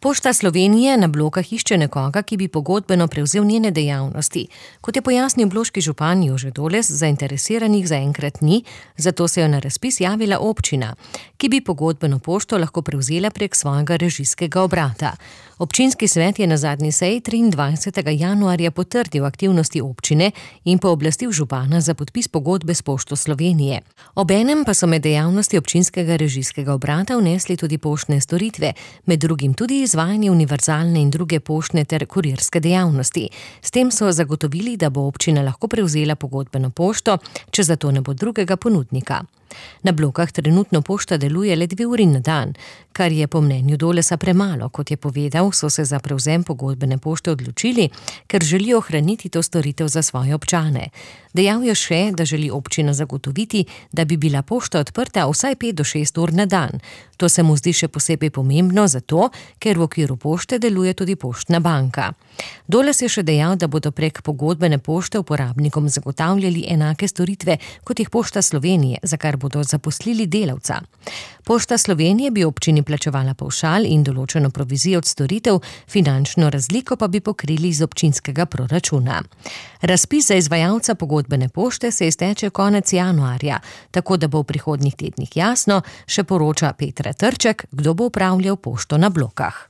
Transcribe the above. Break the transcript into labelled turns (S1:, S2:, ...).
S1: Pošta Slovenije na Blokah išče nekoga, ki bi pogodbeno prevzel njene dejavnosti. Kot je pojasnil bloški župan Jože Doles, zainteresiranih zaenkrat ni, zato se je na razpis javila občina, ki bi pogodbeno pošto lahko prevzela prek svojega režijskega obrata. Občinski svet je na zadnji seji 23. januarja potrdil aktivnosti občine in pooblastil župana za podpis pogodbe s Pošto Slovenije. Obenem pa so med dejavnosti občinskega režijskega obrata vnesli tudi poštne storitve, med drugim tudi izvajanje univerzalne in druge poštne ter kurirske dejavnosti. S tem so zagotovili, da bo občina lahko prevzela pogodbeno pošto, če za to ne bo drugega ponudnika. Na Blokah trenutno pošta deluje le 2 uri na dan, kar je po mnenju Dolesa premalo. Kot je povedal, so se za prevzem pogodbene pošte odločili, ker želijo ohraniti to storitev za svoje občane. Dejal je še, da želi občina zagotoviti, da bi bila pošta odprta vsaj 5 do 6 ur na dan. To se mu zdi še posebej pomembno zato, ker v okviru pošte deluje tudi poštna banka. Doles je še dejal, da bodo prek pogodbene pošte uporabnikom zagotavljali enake storitve, kot jih Pošta Slovenije, za kar bodo zaposlili delavca. Pošta Slovenije bi občini plačevala pavšal in določeno provizijo od storitev, finančno razliko pa bi pokrili iz občinskega proračuna. Razpis za izvajalca pogodbene pošte se izteče konec januarja, tako da bo v prihodnjih tednih jasno, še poroča Petra Trček, kdo bo upravljal pošto na Blokah.